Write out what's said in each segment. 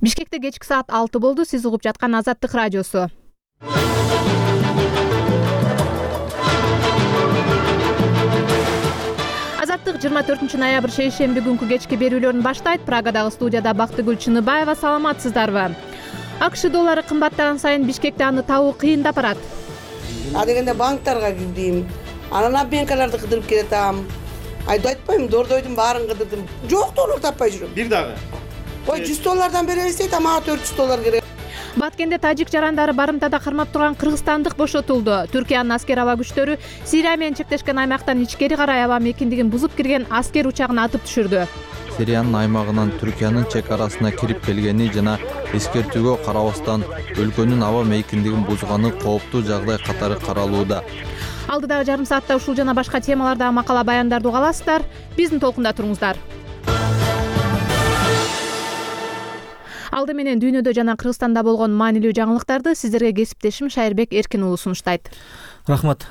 Бишкекте кечки саат 6 болду. Сиз угуп жаткан Азаттык радиосу. Азаттык 24 ноябрь шейшемби күнкү кечки берүүлөрүн баштайт. Прагадагы студияда Бактыгүл Чыныбаева. Саламатсыздарбы? АКШ доллары кымбаттаган сайын Бишкекте аны табуу кыйындап барат. Дегенде банктарга кирдим. Анан обменкаларды кыдырып келатам. Айда айтпайм, дордойдун баарын кыдырдым. Жок доллар таппай жүрөм. Бир дагы. Ой, 100 доллардан беребиз дейт, ама 400 доллар керек. Баткенде тажик жарандары барымтада кармап турган кыргызстандык бошотулду. Түркиянын аскер аба күчтөрү Сирия менен чектешкен аймактан ичкери карай аба мейкиндигин бузуп кирген аскер учагын атып түшүрдү. Сириянын аймагынан Түркиянын чек арасына кирип келгени жана эскертүүгө карабастан өлкөнүн аба мейкиндигин бузганы кооптуу жагдай катары каралууда. Алдыдагы жарым саатта ушул жана башка темалардагы макала баяндарды уга аласыздар. Биздин толкунда туруңуздар. Алды менен дүйнөдө жана Кыргызстанда болгон маанилүү жаңылыктарды сиздерге кесиптешим Шайырбек Эркин уулу сунуштайт. Рахмат.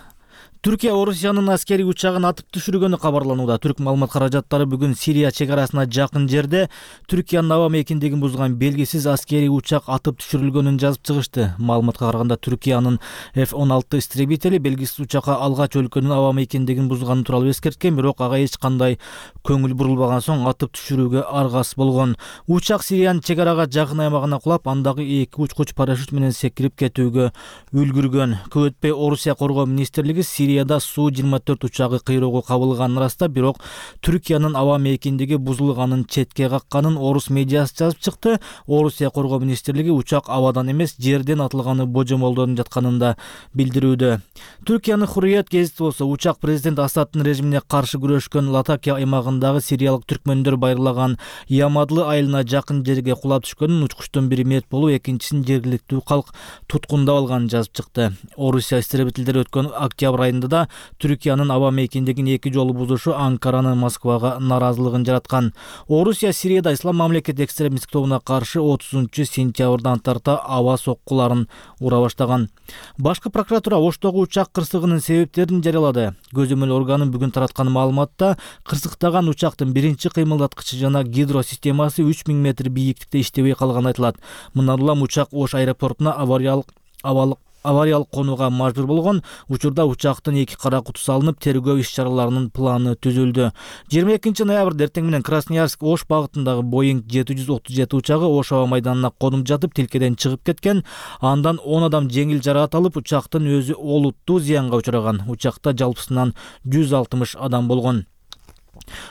Түркия Орусиянын аскери учагын атып түшүргөнү кабарланууда. Түрк маалымат каражаттары бүгүн Сирия чек арасына жакын жерде Түркиянын аба мейкиндигин бузган белгисиз аскери учак атып түшүрүлгөнүн жазып чыгышты. Маалыматка караганда Түркиянын F-16 истребители белгисиз учакка алгач өлкөнүн аба мейкиндигин бузганы тууралуу эскерткен, бирок ага эч кандай көңүл бурулбаган соң атып түшүрүүгө аргасыз болгон. Учак Сириянын чек арага жакын аймагына кулап, андагы 2 учкуч парашют менен секирип кетүүгө үлгүргөн. Көп өтпөй Орусия коргоо министрлиги Сирияда Су-24 учагы кыйроого кабылганын ырастап, бирок Түркиянын аба мейкиндиги бузулганын четке какканын орус медиасы жазып чыкты. Орусия коргоо министрлиги учак абадан эмес, жерден атылганы божомолдонуп жатканын да билдирүүдө. Түркиянын Хурриет гезити болсо учак президент Асаддын режимине каршы күрөшкөн Латакия аймагындагы сириялык түркмөндөр байырлаган Ямадлы айылына жакын жерге кулап түшкөнүн, учкучтун бири мерт болуп, экинчисин жергиликтүү калк туткундап алганын жазып чыкты. Орусия истребительдери өткөн октябрь айында да Түркиянын аба мейкиндигин 2 жолу бузушу Анкаранын Москвага наразылыгын жараткан. Орусия Сирияда Ислам мамлекет экстремисттик тобуна каршы 30-сентябрдан тарта аба соккуларын ура баштаган. Башкы прокуратура Оштогу учак кырсыгынын себептерин жарыялады. Көзөмөл органы бүгүн тараткан маалыматта кырсыктаган учактын биринчи кыймылдаткычы жана гидросистемасы 3000 метр бийиктикте иштебей калганы айтылат. Мындан улам учак Ош аэропортуна авариялык конууга мажбур болгон. Учурда учактын 2 кара куту салынып, тергөө иш-чараларынын планы түзүлдү. 22 ноябрда эртең менен Красноярск Ош багытындагы Boeing 737 учагы Ош аба майданына конуп жатып, тилкеден чыгып кеткен. Андан 10 адам жеңил жаракат алып, учактын өзү олуттуу зыянга учураган. Учакта жалпысынан 160 адам болгон.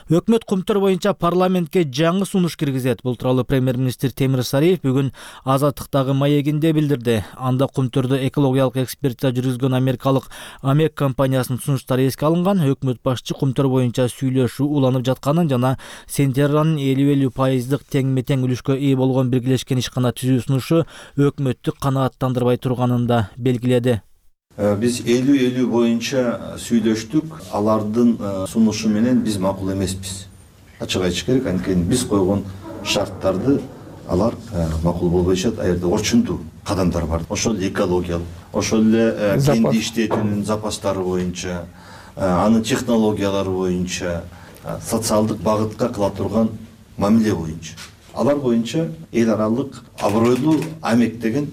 Өкмөт кумтөр боюнча парламентке жаңы сунуш киргизет. Бул тууралуу премьер-министр Темир Сариев бүгүн Азаттыктагы маегинде билдирди. Анда кумтөрдө экологиялык экспертиза жүргүзгөн америкалык Амек компаниясынын сунуштары эске алынган. Өкмөт башчы кумтөр боюнча сүйлөшүү уланып жатканын жана Сентерранын 50-50% тең-метең үлүшкө ээ болгон биргелешкен ишкана түзүү сунушу өкмөттү канааттандырбай турганын да белгиледи. Биз 50-50 боюнча сүйлөштүк. Алардын сунушу менен биз макул эмеспиз. Ачык айтыш керек, анткени биз койгон шарттарды алар макул болбойшат. Аерде орчундуу кадамдар бар. Ошол эле экологиялык, ошол эле кенди иштетүүнүн запастары боюнча, анын технологиялары боюнча, социалдык багытка кыла турган мамиле боюнча. Алар боюнча эл аралык абройлуу Амек деген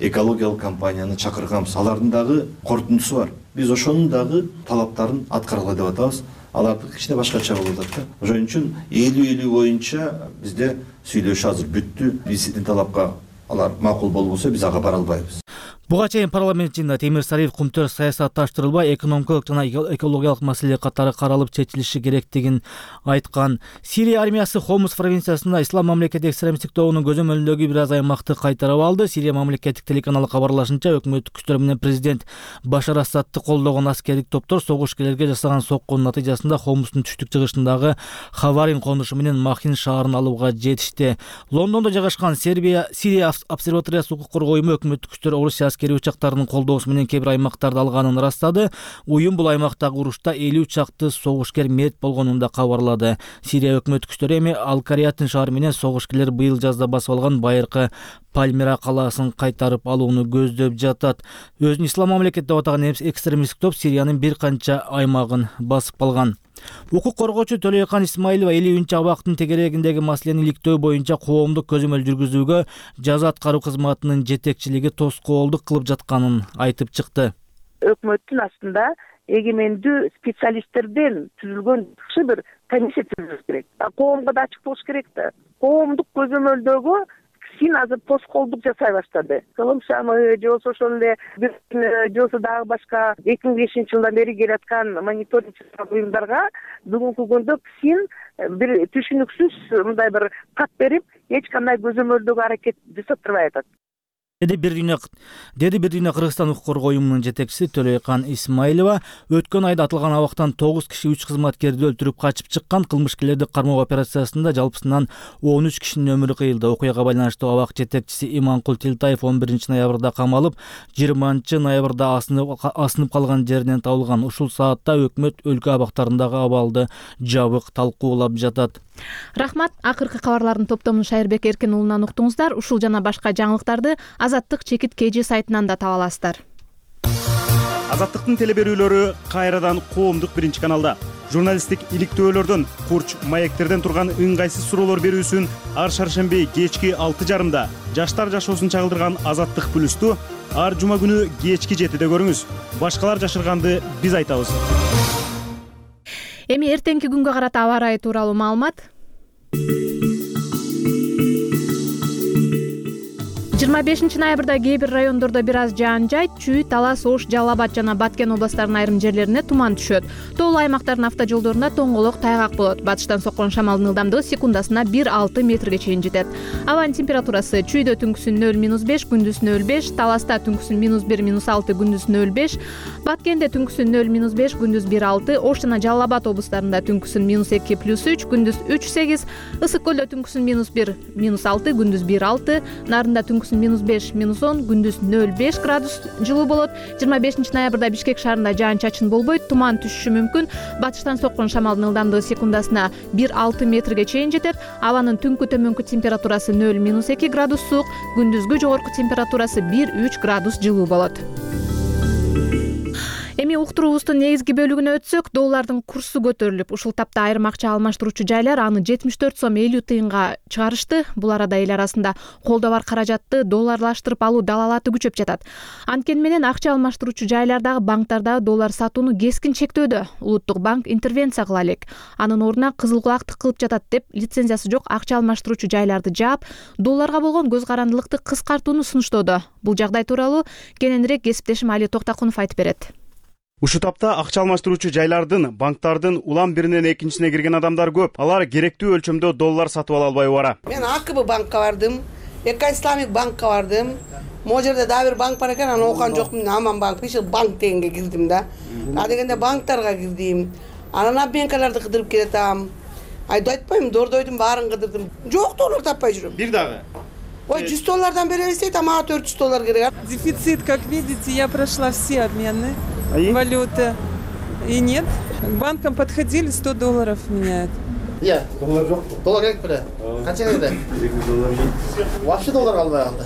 экологиялык компанияны чакырганбыз. Алардын дагы корутундусу бар. Биз ошонун дагы талаптарын аткаргыла деп атабыз. Алардыкы кичине башкача болуп атат. Ошон үчүн 50-50 боюнча бизде сүйлөшүү азыр бүттү. Биздин талапка алар макул болбосо биз ага бара албайбыз. Буга чейин парламент ичинде Темир Сариев кумтөр саясатташтырылбай, экономикалык жана экологиялык маселе катары каралып чечилиши керектигин айткан. Сирия армиясы Хомус провинциясында Ислам мамлекет экстремисттик тобунун көзөмөлүндөгү бир аз аймакты кайтарып алды. Сирия мамлекеттик телеканалы кабарлашынча, өкмөттүк күчтөр менен президент Башар Асадты колдогон аскердик топтор согушкерлерге жасаган соккунун натыйжасында Хомустун түштүк-чыгышындагы Хаварин конушу менен Махин шаарын алууга жетишти. Лондондо жайгашкан Сирия обсерваториясы укук коргоо уюму өкмөттүк күчтөр Орусия аскери учактарынын колдоосу менен кээ бир аймактарды алганын ырастады. Уюм бул аймактагы урушта 50 чакты согушкер мерт болгонун да кабарлады. Сирия өкмөт күчтөрү эми Ал-Кариятын шаары менен согушкерлер быйыл жазда басып алган байыркы Пальмира калаасын кайтарып алууну көздөп жатат. Өзүн Ислам мамлекет деп атаган экстремисттик топ Сириянын бир канча аймагын басып калган. Укук коргоочу Төлөйкан Исмаилова 50-абактын тегерегиндеги маселени иликтөө боюнча коомдук көзөмөл жүргүзүүгө жаза аткаруу кызматынын жетекчилиги тоскоолдук кылып жатканын айтып чыкты. Өкмөттүн астында эгемендүү специалисттерден түзүлгөн жакшы бир комиссия түзүлүш керек. Коомго да ачык болуш керек да. Коомдук көзөмөлдөгө син азыр тоскоолдук жасай баштады. Кылымшамы же болбосо ошол эле же болбосо дагы башка 2005 жылдан бери келаткан мониторингчилик уюмдарга бүгүнкү күндө син бир түшүнүксүз мындай бир так берип, эч кандай көзөмөлдөгө аракет жасап турбай атат. Деди бир дүйнө Кыргызстан укук коргоо уюмунун жетекчиси Төлөйкан Исмаилова. Өткөн айда атылган абактан 9 киши 3 кызматкерди өлтүрүп качып чыккан. Кылмышкерлерди кармоо операциясында жалпысынан 13 кишинин өмүрү кыйылды. Окуяга байланыштуу абак жетекчиси Иманкул Тилтаев 11-ноябрда камалып, 20-ноябрда асынып калган жеринен табылган. Ушул саатта өкмөт өлкө абактарындагы абалды жабык талкуулап жатат. Рахмат. Акыркы кабарлардын топтомун Шайырбек Эркин уулунан уктуңуздар. Ушул жана башка жаңылыктарды Азаттык чекит KG сайтынан да таба аласыздар. Азаттыктын телеберүүлөрү кайрадан коомдук биринчи каналда. Журналисттик иликтөөлөрдөн, курч, маектерден турган ыңгайсыз суроолор берүүсүн ар шаршемби кечки 6:30 жаштар жашоосун чагылдырган Азаттык плюсту ар жума күнү кечки 7-де көрүңүз. Башкалар жашырганды биз айтабыз. Эми эртеңки күнгө карата аба ырайы тууралуу маалымат. 25-ноябрда кээ бир райондордо бир аз жаан жайт, Чүй, Талас, Ош, Жалал Абад жана Баткен областарынын айрым жерлерине туман түшөт. Тоолуу аймактардын автожолдорунда тоңголок, тайгак болот. Батыштан соккон шамалдын ылдамдыгы секундасына 1-6 метрге чейин жетет. Абанын температурасы Чүйдө түнкүсүн 0-5, күндүз 0-5, Таласта түнкүсүн -1, -6, күндүз 0-5, Баткенде түнкүсүн 0-5, күндүз 1-6, Ош жана Жалал Абад облустарында түнкүсүн -2, +3, күндүз 3-8, Ысык көлдө түнкүсүн -1, -6, күндүз 1-6, Нарында түнкүсүн -5, -10, күндүз 0-5 градус жылуу болот. 25-ноябрда Бишкек шаарында жаан-чачын болбойт, туман түшүшү мүмкүн. Батыштан соккон шамалдын ылдамдыгы секундасына 1-6 метрге чейин жетет. Абанын түнкү төмөнкү температурасы 0-2 градус суук, күндүзгү жогорку температурасы 1-3 градус жылуу болот. Эми уктуруубуздун негизги бөлүгүнө өтсөк, доллардын курсу көтөрүлүп, ушул тапта айрым акча алмаштыруучу жайлар аны 74 сом 50 тыйынга чыгарышты. Бул арада эл арасында колдо бар каражатты долларлаштырып алуу далалаты күчөп жатат. Анткени менен акча алмаштыруучу жайлардагы банктардагы доллар сатууну кескин чектөөдө. Улуттук банк интервенция кыла элек. Анын ордуна кызыл кулактык кылып жатат деп, лицензиясы жок акча алмаштыруучу жайларды жаап, долларга болгон көз карандылыкты кыскартууну сунуштоодо. Бул жагдай тууралуу кененирээк кесиптешим Али Токтакунов айтып берет. Ушул тапта акча алмаштыруучу жайлардын, банктардын улам биринен экинчисине кирген адамдар көп. Алар керектүү өлчөмдө доллар сатып ала албай бара. Мен АКБ банкка бардым, Эко-исламик банкка бардым. Могу жерде дагы бир банк бар экен, аны окуган жокмун. Аман банк, иши банк дегенге кирдим да. А дегенде банктарга кирдим. Анан обменкаларды кыдырып келатам. Айда айтпайм, дордойдун баарын кыдырдым. Жок доллар таппай жүрөм. Бир дагы. Ой, 100 доллардан беребиз дейт, а мага 400 доллар керек. Дефицит, как видите, я прошла все обмены валюты. И нет. К банкам подходили, 100 долларов меняют. Я. Доллар жок. Доллар керек беле? Канча керек? 2 доллар. Вообще доллар албай калды.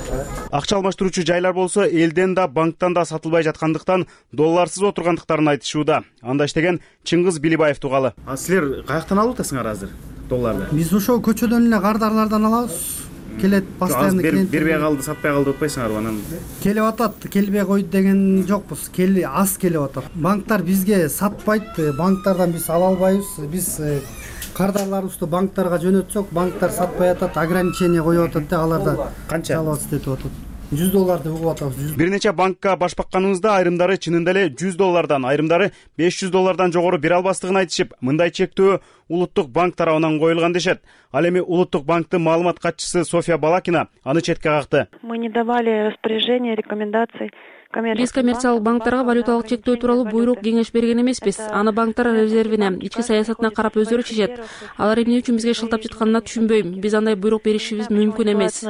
Акча алмаштыруучу жайлар болсо элден да банктан да сатылбай жаткандыктан долларсыз отургандыктарын айтышууда. Анда иштеген Чыңгыз Билибаев тугалы. А силер каяктан алып атасыңар азыр долларды? Биз ошо көчөдөн эле кардарлардан алабыз. Келет постоянно клиент. Бербей калды, сатпай калды деп атпайсыңарбы анан? Келип атат, келбей койду деген жокпуз. Аз келип атат. Банктар бизге сатпайт, банктардан биз ала албайбыз. Биз кардарларыбызды банктарга жөнөтсөк, банктар сатпай атат, ограничение коюп атат да, аларда канча жалап иштетип атат. 100 долларды угуп атабыз. Бир нече банкка баш бакканыбызда айрымдары чынында эле 100 доллардан, айрымдары 500 доллардан жогору бере албастыгын айтышып, мындай чектөө Улуттук банк тарабынан коюлган дешет. Ал эми Улуттук банктын маалымат катчысы София Балакина аны четке какты. Мы не давали распоряжения, рекомендаций. Биз коммерциялык банктарга валюталык чектөө тууралуу буйрук кеңеш берген эмеспиз. Аны банктар резервине, ички саясатына карап өздөрү чечет. Алар эмне үчүн бизге шылтап жатканын түшүнбөйм. Биз андай буйрук беришибиз мүмкүн эмес.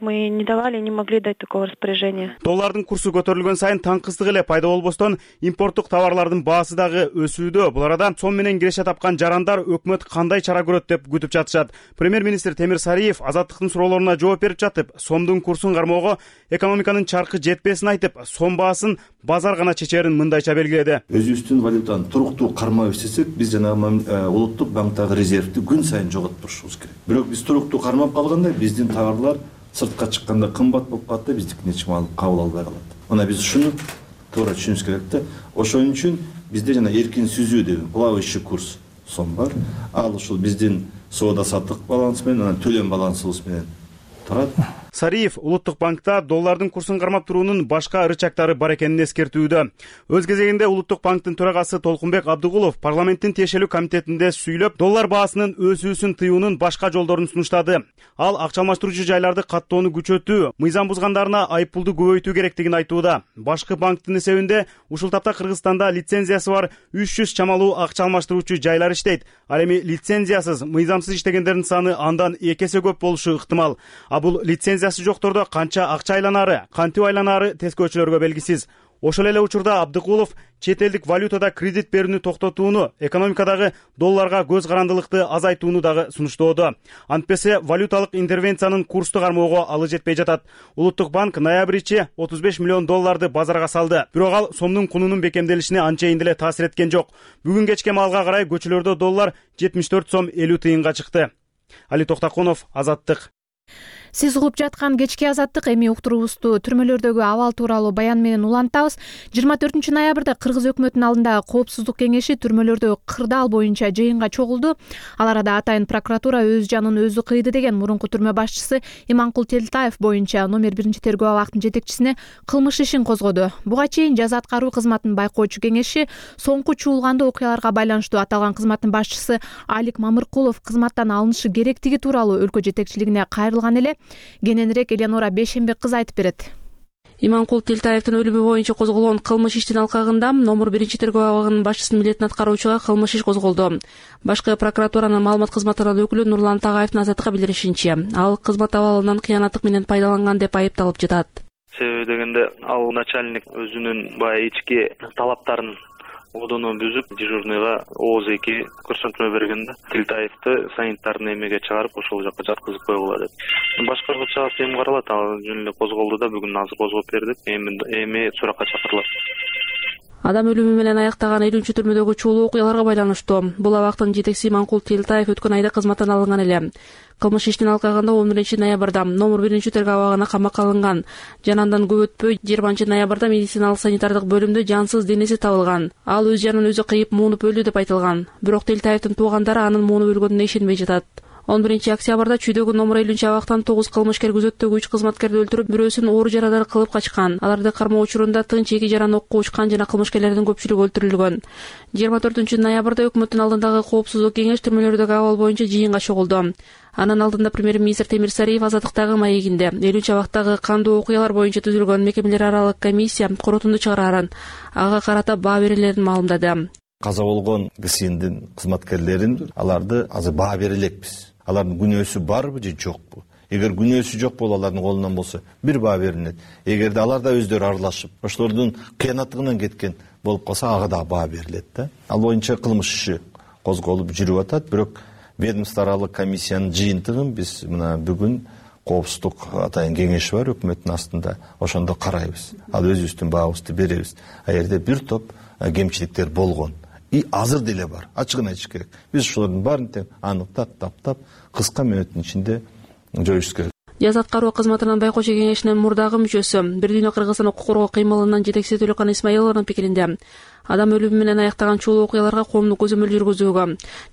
Мы не давали, не могли дать такого распоряжения. Доллардын курсу көтөрүлгөн сайын таңкыздык эле пайда болбостон импорттук товарлардын баасы дагы өсүүдө. Бул арада сом менен киреше тапкан жарандар өкмөт кандай чара көрөт деп күтүп жатышат. Премьер-министр Темир Сариев Азаттыктын суроолоруна жооп берип жатып, сомдун курсун кармоого экономиканын чаркы жетпесин айтып, сом баасын базар гана чечерин мындайча белгиледи. Өзүбүздүн валютаны туруктуу кармап иштесек, биз жанагы улуттук банктагы резервди күн сайын жоготуп турушубуз керек. Бирок биз туруктуу кармап калганда биздин товарлар сыртка чыкканда кымбат болуп калат да, биздикин эч ким кабыл албай калат. Мына биз ушуну туура түшүнүбүз керек да. Ошон үчүн бизде жана эркин сүзүү деген плавающий курс сом бар. Ал ушул биздин соода саттык баланс менен, анан төлөм балансыбыз менен турат. Сариев Улуттук банкта доллардын курсун кармап туруунун башка ырычактары бар экенин эскертүүдө. Өз кезегинде Улуттук банктын төрагасы Толкунбек Абдыгулов парламенттин тиешелүү комитетинде сүйлөп, доллар баасынын өсүүсүн тыюунун башка жолдорун сунуштады. Ал акча алмаштыруучу жайларды каттоону күчөтүү, мыйзам бузгандарына айыппулду көбөйтүү керектигин айтууда. Башкы банктын эсебинде ушул тапта Кыргызстанда лицензиясы бар 300 чамалуу акча алмаштыруучу жайлар иштейт. Ал эми лицензиясыз, мыйзамсыз иштегендердин саны андан 2 эсе көп болушу ыктымал. А бул лицензиясы жоктордо канча акча айланары, кантип айланары тескөөчүлөргө белгисиз. Ошол эле учурда Абдыкулов чет элдик валютада кредит берүүнү токтотууну, экономикадагы долларга көз карандылыкты азайтууну дагы сунуштоодо. Антпесе валюталык интервенциянын курсту кармоого алы жетпей жатат. Улуттук банк ноябрь ичи 35 миллион долларды базарга салды. Бирок ал сомдун кунунун бекемделишине анчейин деле таасир эткен жок. Бүгүн кечке маалга карай көчөлөрдө доллар 74 сом 50 тыйынга чыкты. Али Токтакунов, Азаттык. Сиз угуп жаткан кечки Азаттык эми уктуруубузду түрмөлөрдөгү абал тууралуу баян менен улантабыз. 24 ноябрда Кыргыз өкмөтүнүн алдындагы коопсуздук кеңеши түрмөлөрдөгү кырдаал боюнча жыйынга чогулду. Ал арада атайын прокуратура өз жанын өзү кыйды деген мурунку түрмө башчысы Иманкул Телтаев боюнча номер 1 тергөө абактын жетекчисине кылмыш ишин козгоду. Буга чейин жаза аткаруу кызматын байкоочу кеңеши соңку чуулгандуу окуяларга байланыштуу аталган кызматтын башчысы Алик Мамыркулов кызматтан алынышы керектиги тууралуу өлкө жетекчилигине кайрылган эле. Кененирээк Элеонора Бешенбек кыз айтып берет. Иманкул Телтаевдин өлүмү боюнча козголгон кылмыш иштин алкагында номер 1 тергөө абагынын башчысынын милдетин аткаруучуга кылмыш иш козголду. Башкы прокуратуранын маалымат кызматынын өкүлү Нурлан Тагаевдин Азаттыкка билдиришинче, ал кызмат абалынан кыянаттык менен пайдаланган деп айыпталып жатат. Себеби дегенде ал начальник өзүнүн баягы ички талаптарын одону бүзүп, дежурныйга ооз-2 көрсөтмө бергенде Телтаевди санитарный эмеге чыгарып, ошол жака жаткызып койгула деп. Башкаргыча эми каралат, ал жөн эле козголду да, бүгүн азыр козгоп бердик. Эми суракка чакырылат. Адам өлүмү менен аяктаган 50-чү түрмөдөгү чуулуу окуяларга байланыштуу. Бул абактын жетекчиси Иманкул Телтаев өткөн айда кызматтан алынган эле. Кылмыш иштин алкагында 11 ноябрда номер 1 тергөө абагына камакка алынган. Жана андан көп өтпөй 20 ноябрда медициналык санитардык бөлүмдө жансыз денеси табылган. Ал өз жанын өзү кыйып муунуп өлдү деп айтылган. Бирок Телтаевдин туугандары анын муунуп өлгөнүнө ишенбей жатат. 11 октябрда Чүйдөгү номер 50 абактан 9 кылмышкер күзөттөгү 3 кызматкерди өлтүрүп, бирөөсүн оор жарадар кылып качкан. Аларды кармоо учурунда тынч 2 жаран окко учкан жана кылмышкерлердин көпчүлүгү өлтүрүлгөн. 24 ноябрда өкмөттүн алдындагы коопсуздук кеңеш түрмөлөрдөгү абал боюнча жыйынга чогулду. Анын алдында премьер-министр Темир Сариев Азаттыктагы маегинде 50 абактагы кандуу окуялар боюнча түзүлгөн мекемелер аралык комиссия корутунду чыгарарын, ага карата баа берилерин маалымдады. Каза болгон кишинин кызматкерлерин аларды азыр баа бере элекпиз. Алардын күнөөсү барбы же жокпу? Эгер күнөөсү жок болсо, алардын колунан болсо бир баа берилет. Эгерде алар да өздөрү аралашып, ошолордун кыянаттыгынан кеткен болуп калса, ага да баа берилет да. Ал боюнча кылмыш иши козголуп жүрүп атат, бирок ведомство аралык комиссиянын жыйынтыгын биз мына бүгүн коопсуздук атайын кеңеши бар өкмөттүн астында, ошондо карайбыз. Ал өзүбүздүн баабызды беребиз. А жерде бир топ кемчиликтер болгон. И азыр деле бар. Ачыгын айтыш керек. Биз ошолордун баарын тең аныктап, таптап, кыска мөөнөттүн ичинде жоюш керек. Жаза аткаруу кызматынын байкоочу кеңешинин мурдагы мүчөсү, Бир дүйнө Кыргызстан укук коргоо кыймылынын жетекчиси Төлөкан Исмаилованын пикиринде, адам өлүмү менен аяктаган чуулуу окуяларга коомдук көзөмөл жүргүзүүгө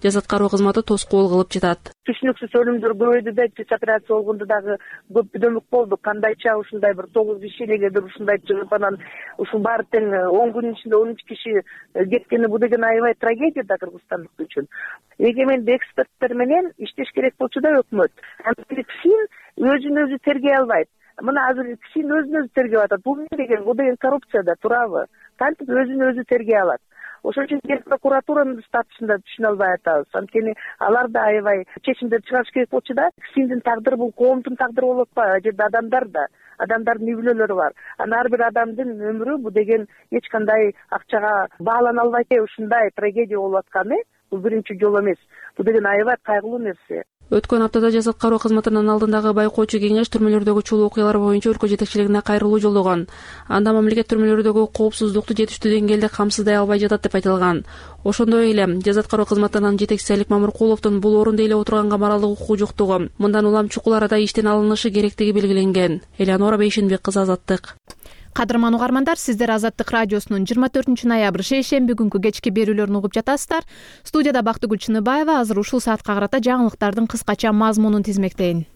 жаза аткаруу кызматы тоскоол кылып жатат. Түшүнүксүз өлүмдөр көбөйдү да, операция болгондо дагы көп дөмөк болду. Кандайча ушундай бир 9 киши элегедир ушундай чыгып анан ушул баары тең 10 күнүн ичинде 13 киши кеткени, бу деген аябай трагедия да кыргызстандык үчүн. Эгеменди эксперттер менен иштеш керек болчу да өкмөт. КСИН өзүн өзү тергей албайт. Мына азыр КСИН өзүн өзү тергеп атат. Бул деген коррупция да, туурабы? Кантип өзүн өзү тергей алат? Ошон үчүн прокуратуранын статусун да түшүнө албай атабыз. Анткени алар да аябай чечимдер чыгарыш керек болчу да. КСИНдин тагдыры бул коомдун тагдыры болуп атпайбы? Ал жерде адамдар да, адамдардын үй бүлөлөрү бар. Анан ар бир адамдын өмүрү бу деген эч кандай акчага баалана албайт. Ушундай трагедия болуп атканы бул биринчи жолу эмес. Бул деген аябай кайгылуу нерсе. Өткөн аптада Жазат кароо кызматынын алдындагы байкоочу кеңеш түрмөлөрдөгү чулуу окуялар боюнча өлкө жетекчилигине кайрылуу жолдогон. Анда мамлекет түрмөлөрдөгү коопсуздукту жетиштүү деңгээлде камсыздай албай жатат деп айтылган. Ошондой эле Жазат кароо кызматынын жетекчиси Алик Мамыркуловдун бул орунду эле отурган камаралдык укугу жоктугу, мындан улам чукул арада иштен алынышы керектиги белгиленген. Элеонора Бейшенбек кызы, Азаттык. Кадырман угармандар, сиздер Азаттык радиосунун 24 ноябрь шейшемби күнкү кечки берүүлөрүн угуп жатасыздар. Студияда Бактыгүл Чыныбаева. Азыр ушул саатка карата жаңылыктардын кыскача мазмунун тизмектейин.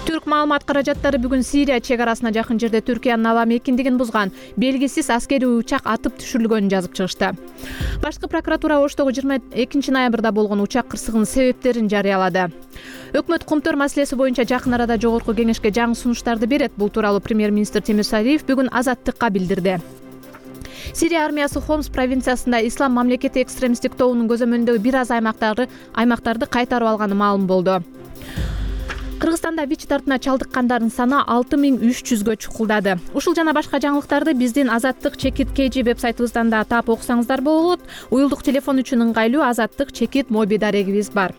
Түрк маалымат каражаттары бүгүн Сирия чек арасына жакын жерде Түркиянын аба мейкиндигин бузган белгисиз аскерий учак атып түшүрүлгөнүн жазып чыгышты. Башкы прокуратура Оштогу 22 ноябрда болгон учак кырсыгынын себептерин жарыялады. Өкмөт Кумтөр маселеси боюнча жакын арада жогорку кеңешке жаңы сунуштарды берет. Бул тууралуу премьер-министр Темир Сариев бүгүн Азаттыкка билдирди. Сирия армиясы Хомс провинциясында Ислам мамлекети экстремисттик тобунун көзөмөлүндөгү бир аз аймактарды кайтарып алганы маалым болду. Кыргызстанда ВИЧ тартына чалдыккандардын саны 6300гө чукулдады. Ушул жана башка жаңылыктарды биздин Азаттык _KG веб-сайтыбыздан да таап окусаңыздар болот. Уюлдук телефон үчүн ыңгайлуу Азаттык _ моби дарегибиз бар.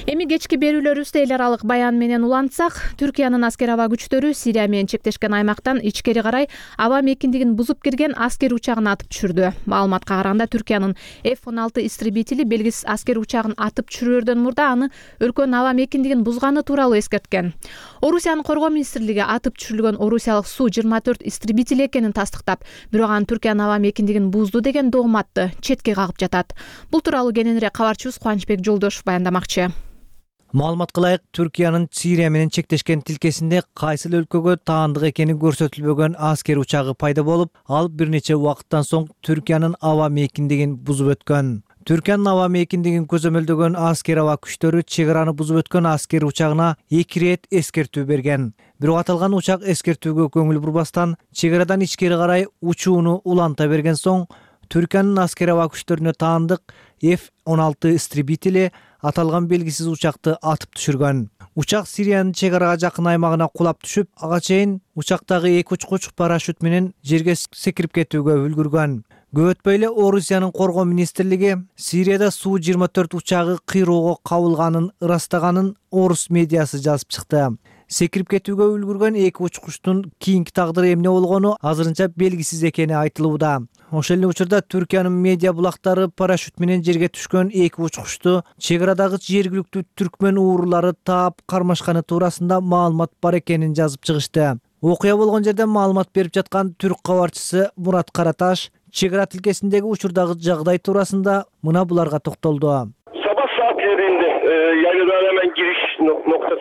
Эми кечки берүүлөрүбүздө эл аралык баян менен улантсак, Түркиянын аскер аба күчтөрү Сирия менен чектешкен аймактан ичкери карай аба мейкиндигин бузуп кирген аскер учагын атып түшүрдү. Маалыматка караганда Түркиянын F-16 истребители белгисиз аскер учагын атып түшүрөрдөн мурда аны өлкөнүн аба мейкиндигин бузганы тууралуу эскерткен. Орусиянын коргоо министрлиги атып түшүрүлгөн орусиялык Су-24 истребители экенин тастыктап, бирок анын Түркиянын аба мейкиндигин бузду деген дооматты четке кагып жатат. Бул тууралуу кененирээк кабарчыбыз Кубанычбек Жолдошов баяндамакчы. Маалыматка ылайык, Түркиянын Сирия менен чектешкен тилкесинде кайсыл өлкөгө таандык экени көрсөтүлбөгөн аскер учагы пайда болуп, ал бир нече убакыттан соң Түркиянын аба мейкиндигин бузуп өткөн. Түркиянын аба мейкиндигин көзөмөлдөгөн аскер аба күчтөрү чек араны бузуп өткөн аскер учагына 2 рет эскертүү берген. Бирок аталган учак эскертүүгө көңүл бурбастан чек арадан ичкери карай учууну уланта берген соң, Түркиянын аскер аба күчтөрүнө таандык F-16 истребители аталган белгисиз учакты атып түшүргөн. Учак Сириянын чек арага жакын аймагына кулап түшүп, ага чейин учактагы 2 учкуч парашют менен жерге секирип кетүүгө үлгүргөн. Көп өтпөй эле Орусиянын коргоо министрлиги Сирияда Су-24 учагы кыйроого кабылганын ырастаганын орус медиасы жазып чыкты. Секирип кетүүгө үлгүргөн 2 учкучтун кийинки тагдыры эмне болгону азырынча белгисиз экени айтылууда. Ошол эле учурда Түркиянын медиа булактары парашют менен жерге түшкөн 2 учкучту чек арадагы жергиликтүү түркмөн уурулары таап кармашканы туурасында маалымат бар экенин жазып чыгышты. Окуя болгон жерде маалымат берип жаткан түрк кабарчысы Мурат Караташ чек ара тилкесиндеги учурдагы жагдай туурасында мына буларга токтолду.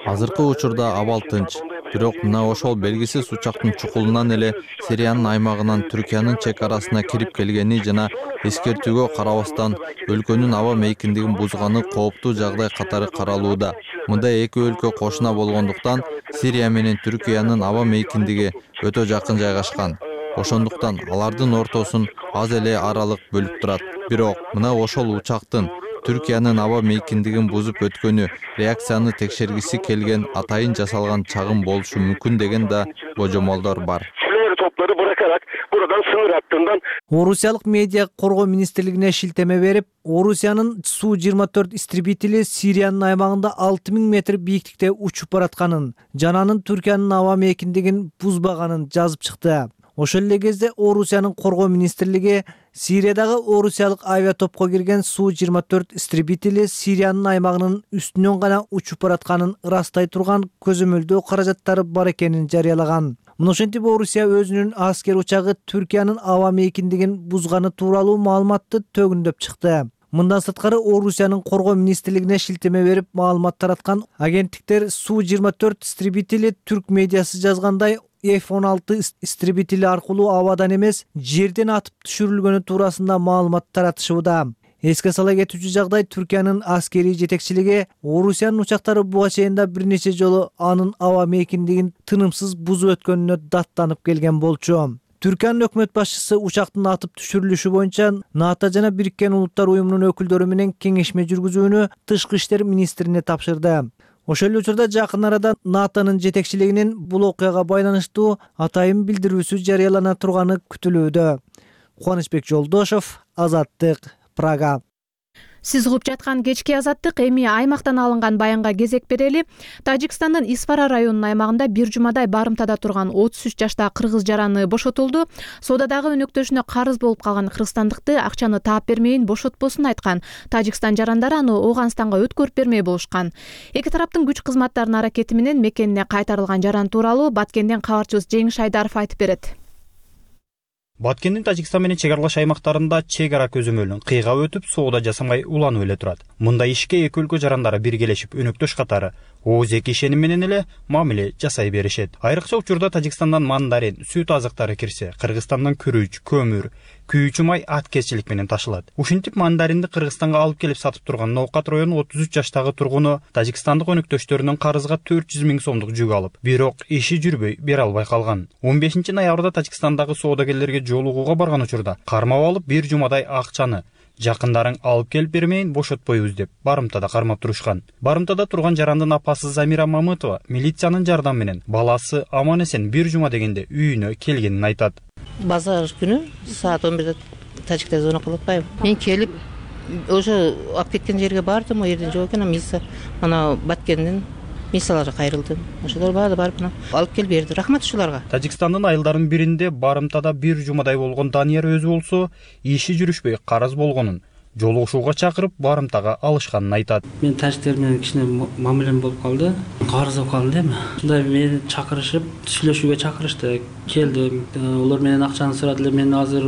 Азыркы учурда абал тынч, бирок мына ошол белгисиз учактын чукулунан эле Сириянын аймагынан Түркиянын чек арасына кирип келгени жана эскертүүгө карабастан өлкөнүн аба мейкиндигин бузганы кооптуу жагдай катары каралууда. Мында эки өлкө кошуна болгондуктан Сирия менен Түркиянын аба мейкиндиги өтө жакын жайгашкан. Ошондуктан алардын ортосун аз эле аралык бөлүп турат. Бирок мына ошол учактын Түркиянын аба мейкиндигин бузуп өткөнү реакцияны текшергиси келген атайын жасалган чагым болушу мүмкүн деген да божомолдор бар. Орусиялык медиа коргоо министрлигине шилтеме берип, Орусиянын Су-24 истребители Сириянын аймагында 6000 метр бийиктикте учуп баратканын, жана анын Түркиянын аба мейкиндигин бузбаганын жазып чыкты. Ошол эле кезде Орусиянын коргоо министрлиги Сириядагы орусиялык авиатопко кирген Су-24 истребители Сириянын аймагынын үстүнөн гана учуп баратканын ырастай турган көзөмөлдөө каражаттары бар экенин жарыялаган. Мына ошентип Орусия өзүнүн аскер учагы Түркиянын аба мейкиндигин бузганы тууралуу маалыматты төгүндөп чыкты. Мындан сырткары Орусиянын коргоо министрлигине шилтеме берип маалымат тараткан агенттиктер Су-24 истребители түрк медиасы жазгандай F-16 истребители аркылуу абадан эмес, жерден атып түшүрүлгөнү туурасында маалымат таратышууда. Эске сала кетүүчү жагдай, Түркиянын аскерий жетекчилиги Орусиянын учактары буга чейин да бир нече жолу анын аба мейкиндигин тынымсыз бузуп өткөнүнө даттанып келген болчу. Түркиянын өкмөт башчысы учактын атып түшүрүлүшү боюнча НАТО жана Бириккен Улуттар уюмунун өкүлдөрү менен кеңешме жүргүзүүнү тышкы иштер министрине тапшырды. Ошол эле учурда жакын арада НАТОнун жетекчилигинин бул окуяга байланыштуу атайын билдирүүсү жарыялана турганы күтүлүүдө. Кубанычбек Жолдошов, Азаттык, Прага. Сиз угуп жаткан кечки Азаттык. Эми аймактан алынган баянга кезек берели. Тажикстандын Исфара районунун аймагында бир жумадай барымтада турган 33 жаштагы кыргыз жараны бошотулду. Соодадагы өнөктөшүнө карыз болуп калган кыргызстандыкты акчаны таап бермейин бошотпосун айткан. Тажикстан жарандары аны Ооганстанга өткөрүп бермей болушкан. Эки тараптын күч кызматтарынын аракети менен мекенине кайтарылган жаран тууралуу Баткенден кабарчыбыз Жеңиш Айдаров айтып берет. Баткендин Тажикстан менен чек аралаш аймактарында чек ара көзөмөлүн кыйгап өтүп, соода жасамай уланып эле турат. Мындай ишке эки өлкө жарандары биргелешип өнөктөш катары ооз-эки ишеним менен эле мамиле жасай беришет. Айрыкча учурда Тажикстандан мандарин, сүт азыктары кирсе, Кыргызстандан күрүч, көмүр, күйүүчү май аткезчилик менен ташылат. Ушинтип мандаринди Кыргызстанга алып келип сатып турган Ноокат районунун 33 жаштагы тургуну Тажикстандык өнөктөштөрүнүн карызга 400 000 сомдук жүк алып, бирок иши жүрбөй бере албай калган. 15 ноябрда Тажикстандагы соодагерлерге жолугууга барган учурда кармап алып бир жумадай акчаны жакындарың алып келип бермейин бошотпойбуз деп барымтада кармап турушкан. Барымтада турган жарандын апасы Замира Мамытова милициянын жардамы менен баласы аман эсен бир жума дегенде үйүнө келгенин айтат. Базар күнү саат 11-де тажиктер звонок кылып атпайбы. Мен келип уже алып кеткен жерге бардым, о жерден жок экен, милиция ана Баткендин милицияларга кайрылдым. Ошолор барып алып келип берди. Рахмат ушуларга. Тажикстандын айылдарынын биринде барымтада бир жумадай болгон Данияр өзү болсо, иши жүрүшпөй карыз болгонун жолугушууга чакырып барымтага алышканын айтат. Мен тажиктер менен кичине мамилем болуп калды. Карыз болуп калдым дейм. Ушундай мени чакырышып, сүйлөшүүгө чакырышты. Келдим. Олар менен акчаны сурадылар. Мен азыр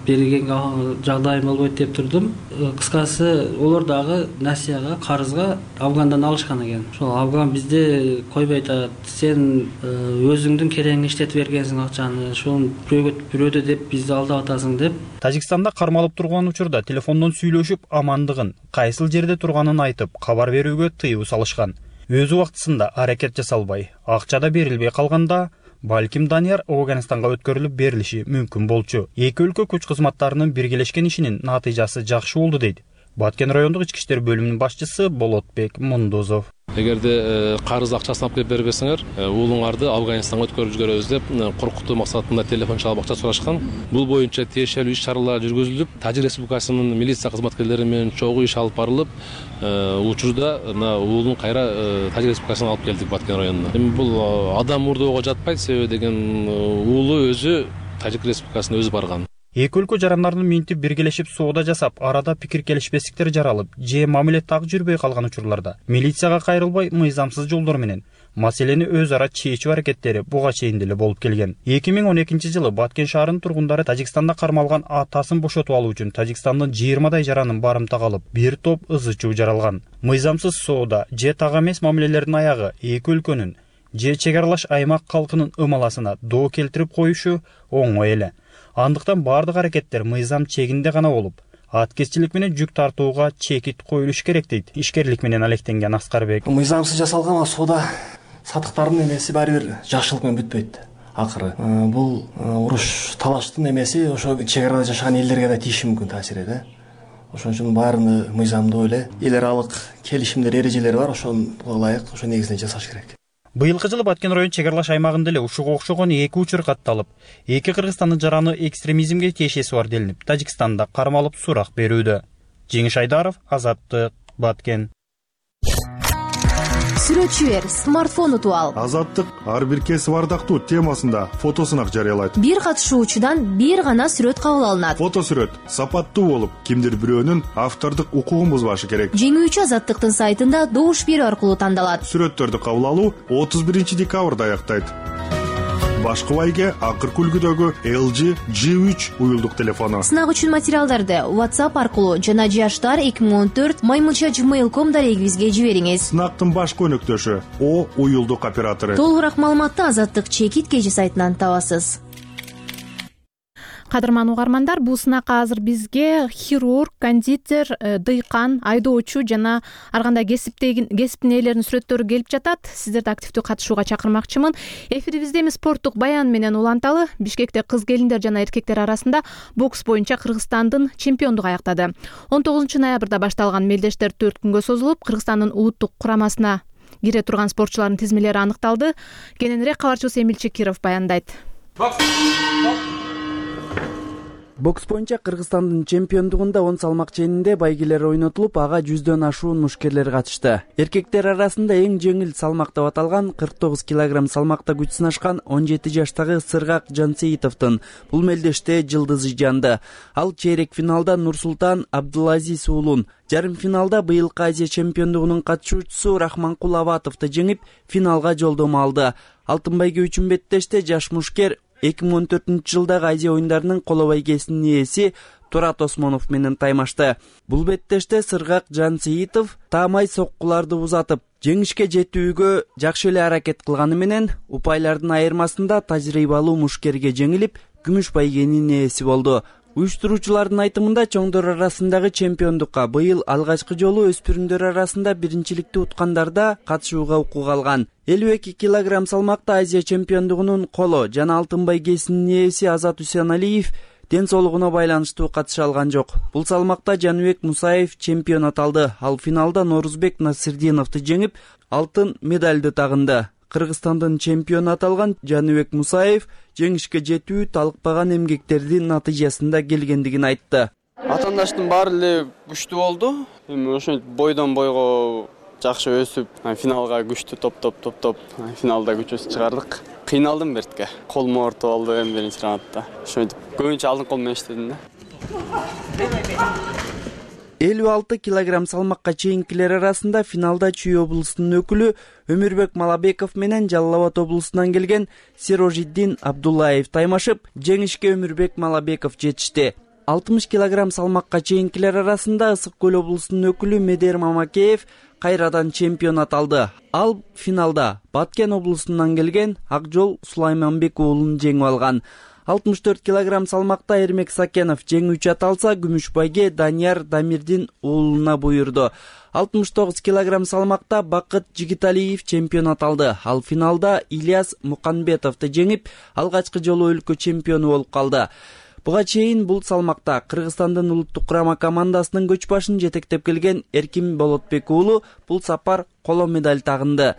бергенге жагдайым болбойт деп турдум. Кыскасы, олар дагы насияга, карызга Афгандан алышкан экен. Ошол Афган бизде койбой атат. Сен өзүңдүн керегиңе иштетип бергенсиң акчаны. Ошону бирөөдө деп бизди алдап атасың деп. Тажикстанда кармалып турган учурда телефондон сүйлөшүп, амандыгын, кайсыл жерде турганын айтып, кабар берүүгө тыюу салышкан. Өз убактысында аракет жасалбай, акча да берилбей калганда, балким Данияр Ооганстанга өткөрүлүп берилиши мүмкүн болчу. Эки өлкө күч кызматтарынын биргелешкен ишинин натыйжасы жакшы болду дейт Баткен райондук ички иштер бөлүмүнүн башчысы Болотбек Мундузов. Эгерде карыз акчасын алып келип бербесеңер, уулуңарды Афганистанга өткөрүп жиберебиз деп коркутуу максатында телефон чалып акча сурашкан. Бул боюнча тиешелүү иш-чаралар жүргүзүлүп, Тажик Республикасынын милиция кызматкерлери менен чогуу иш алып барылып, учурда уулун кайра Тажик Республикасына алып келдик Баткен районуна. Эми бул адам мурдоого жатпайт, себеби деген уулу өзү Тажик Республикасына өзү барган. Эки өлкө жарандарынын минтип биргелешип соода жасап, арада пикир келишпестиктер жаралып, же мамиле так жүрбөй калган учурларда милицияга кайрылбай мыйзамсыз жолдор менен маселени өз ара чечүү аракеттери буга чейин деле болуп келген. 2012-жылы Баткен шаарынын тургундары Тажикстанда кармалган атасын бошотуп алуу үчүн Тажикстандын 20 жаранын барымтага алып, бир топ ызы-чуу жаралган. Мыйзамсыз соода же так эмес мамилелердин аягы эки өлкөнүн же чек аралаш аймак калкынын ымаласына доо келтирип коюшу оңой эле. Андыктан бардык аракеттер мыйзам чегинде гана болуп, аткезчилик менен жүк тартууга чекит коюлуш керек дейт ишкерлик менен алектенген Аскарбек. Мыйзамсыз жасалган соода сатыктардын эмеси баары бир жакшылык менен бүтпөйт. Акыры бул уруш талаштын эмеси ошо чек арада жашаган элдерге да тийиши мүмкүн таасири да. Ошон үчүн баарыны мыйзамдуу эле эл аралык келишимдер, эрежелери бар, ошого ылайык, ошо негизинде жасаш керек. Быйылкы жылы Баткен район чек аралаш аймагында эле ушуга окшогон эки учур катталып, эки Кыргызстандын жараны экстремизмге тиешеси бар делинип, Тажикстанда кармалып сурак берүүдө. Жеңиш Айдаров, Азаттык, Баткен. Сүрөтчү бер, смартфон утуп ал. Азаттык ар бир кесип ардактуу темасында фотосунак жарыялайт. Бир катышуучудан бир гана сүрөт кабыл алынат. Фотосүрөт сапаттуу болуп, кимдир бирөөнүн автордук укугун бузбашы керек. Жеңүүчү Азаттыктын сайтында добуш берүү аркылуу тандалат. Сүрөттөрдү кабыл алуу 31 декабрда аяктайт. Башкы байге акыркы үлгүдөгү LG G3 уюлдук телефону. Сынак үчүн материалдарды WhatsApp аркылуу жана jashtar2014@gmail.com дарегибизге жибериңиз. Сынактын башкы өнөктөшү О уюлдук оператору. Толугураак маалыматты Азаттык чекит KG сайтынан табасыз. Кадырман угармандар, бул сынакка азыр бизге хирург, кондитер, дыйкан, айдоочу жана ар кандай кесиптин ээлеринин сүрөттөрү келип жатат. Сиздерди активдүү катышууга чакырмакчымын. Эфирибизде эми спорттук баян менен уланталы. Бишкекте кыз келиндер жана эркектер арасында бокс боюнча Кыргызстандын чемпиондугу аяктады. 19 ноябрда башталган мелдештер 4 күнгө созулуп, Кыргызстандын улуттук курамасына кире турган спортчулардын тизмелери аныкталды. Кененирээк кабарчыбыз Эмил Чекиров баяндайт. Бокс боюнча Кыргызстандын чемпиондугунда 10 салмак ченинде байгелер ойнотулуп, ага 100дөн ашуун мушкерлер катышты. Эркектер арасында эң жеңил салмак деп аталган 49 килограмм салмакта күч сынашкан 17 жаштагы Сыргак Жансеитовдун бул мелдеште жылдызы жанды. Ал чейрек финалда Нурсултан Абдулазиз уулун, жарым финалда быйылкы Азия чемпиондугунун катышуучусу Рахманкул Абатовду жеңип, финалга жолдомо алды. Алтын байге үчүн беттеште жаш мушкер 2014-жылдагы Азия оюндарынын коло байгесинин ээси Турат Осмонов менен таймашты. Бул беттеште Сыргак Жансеитов таамай соккуларды узатып, жеңишке жетүүгө жакшы эле аракет кылганы менен упайлардын айырмасында тажрыйбалуу мушкерге жеңилип, күмүш байгенин ээси болду. Уюштуруучулардын айтымында чоңдор арасындагы чемпиондукка быйыл алгачкы жолу өспүрүмдөр арасында биринчиликти уткандарда катышууга укук алган. 52 килограмм салмакта Азия чемпиондугунун коло жана алтын байгесинин ээси Азат Усеналиев ден соолугуна байланыштуу катыша алган жок. Бул салмакта Жаныбек Мусаев чемпион аталды. Ал финалда Норузбек Насырдиновду жеңип, алтын медальды тагынды. Кыргызстандын чемпиону аталган Жаныбек Мусаев жеңишке жетүү талыкпаган эмгектердин натыйжасында келгендигин айтты. Атаандаштын баары эле күчтүү болду. Эми ошентип бойдон бойго жакшы өсүп, финалга күчтүү топтоп финалда күчөсү чыгардык. Кыйналдым бертке. Колум оорутуп алды эми биринчи раундда. Ошентип көбүнчө алдын кол менен иштедим да. 56 килограмм салмакка чейинкилер арасында финалда Чүй облусунун өкүлү Өмүрбек Малабеков менен Жалал Абад облусунан келген Сирожиддин Абдуллаев таймашып, жеңишке Өмүрбек Малабеков жетишти. 60 килограмм салмакка чейинкилер арасында Ысык Көл облусунун өкүлү Медер Мамакеев кайрадан чемпион аталды. Ал финалда Баткен облусунан келген Акжол Сулайманбек уулун жеңип алган. 64 килограмм салмакта Эрмек Сакенов жеңүүчү аталса, күмүш байге Данияр Дамирдин уулуна буйрду. 69 килограмм салмакта Бакыт Жигиталиев чемпион аталды. Ал финалда Ильяс Муканбетовду жеңип, алгачкы жолу өлкө чемпиону болуп калды. Буга чейин бул салмакта Кыргызстандын улуттук курама командасынын көч башын жетектеп келген Эркин Болотбек уулу бул сапар коло медаль тагынды.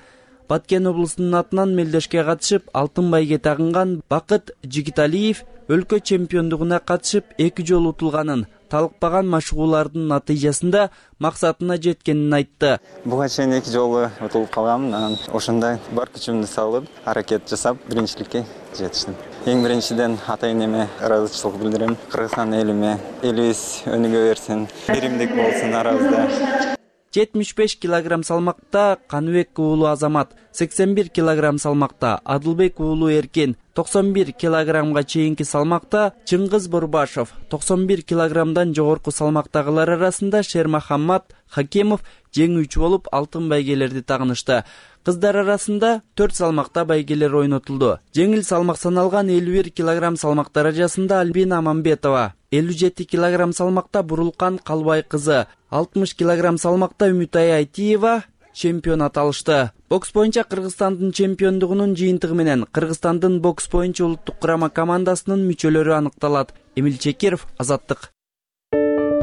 Баткен облусунун атынан мелдешке катышып, алтын байге тагынган Бакыт Жигиталиев өлкө чемпиондугуна катышып 2 жолу утулганын, талыкпаган машыгуулардын натыйжасында максатына жеткенин айтты. Буга чейин 2 жолу утулуп калганмын, анан ошондой бар күчүмдү салып, аракет жасап, биринчиликке жетиштим. Эң биринчиден ата энеме ыраазычылык билдирем. Кыргызстан элиме, элибиз өнүгө берсин, биримдик болсун арабызда. 75 килограмм салмакта Каныбек уулу Азамат, 81 килограмм салмакта Адылбек уулу Эркен, 91 килограммга чейинки салмакта Чыңгыз Борбашов, 91 килограммдан жогорку салмактагылар арасында Шермахаммат Хакемов жеңүүчү болуп алтын байгелерди тагынышты. Кыздар арасында 4 салмакта байгелер ойнотулду. Жеңил салмак саналган 51 килограмм салмак даражасында Альбина Аманбетова, 57 килограмм салмакта Бурулкан Калбай кызы, 60 килограмм салмакта Үмүтай Айтиева чемпион аталышты. Бокс боюнча Кыргызстандын чемпиондугунун жыйынтыгы менен Кыргызстандын бокс боюнча улуттук курама командасынын мүчөлөрү аныкталат. Эмил Чекиров, Азаттык.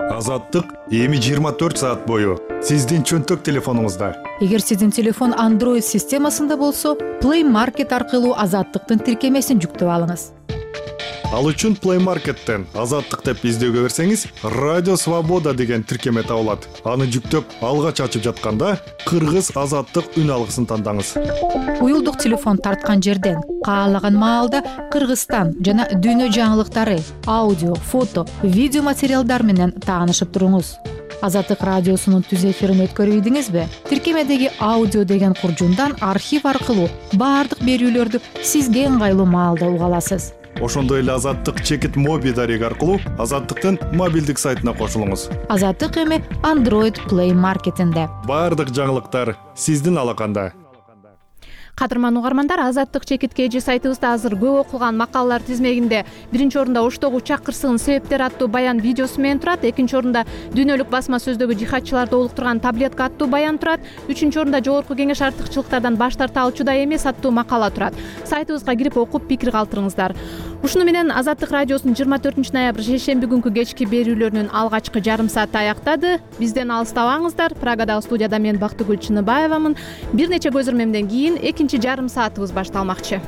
Азаттык эми 24 саат бою сиздин чөнтөк телефонуңузда. Эгер сиздин телефон Android системасында болсо, Play Market аркылуу Азаттыктын тиркемесин жүктөп алыңыз. Ал үчүн Play Market'тен Азаттык деп издөөгө берсеңиз, Радио Свобода деген тиркеме табылат. Аны жүктөп, алгач ачып жатканда Кыргыз Азаттык үн алгысын тандаңыз. Уюлдук телефон тарткан жерден каалаган маалда Кыргызстан жана дүйнө жаңылыктары, аудио, фото, видео материалдар менен таанышып туруңуз. Азаттык радиосунун түз эфирин өткөрүбүдүңүзбү? Тиркемедеги аудио деген куржундан архив аркылуу баардык берүүлөрдү сизге ыңгайлуу маалда уга аласыз. Ошондой эле Азаттык чекит моби дареги аркылуу Азаттыктын мобилдик сайтына кошулуңуз. Азаттык эми Android Play Market'инде. Баардык жаңылыктар сиздин алаканда. Кадырман угармандар, Азаттык чекит KG сайтыбызда азыр көп окулган макалалар тизмегинде биринчи орунда Оштогу учак кырсыгынын себептери аттуу баян видеосу менен турат. Экинчи орунда дүйнөлүк басма сөздөгү жихадчыларды олуктурган таблетка аттуу баян турат. Үчүнчү орунда жогорку кеңеш артыкчылыктардан баш тарта алчу да эмес аттуу макала турат. Сайтыбызга кирип окуп пикир калтырыңыздар. ушуну менен Азаттык радиосунун 24 ноябрь шейшемби күнкү кечки берүүлөрүнүн алгачкы жарым сааты аяктады. Бизден алыстабаңыздар. Прагадагы студияда мен Бактыгүл Чыныбаевамын. Бир нече көзөрмөмдөн кийин экинчи жарым саатыбыз башталмакчы.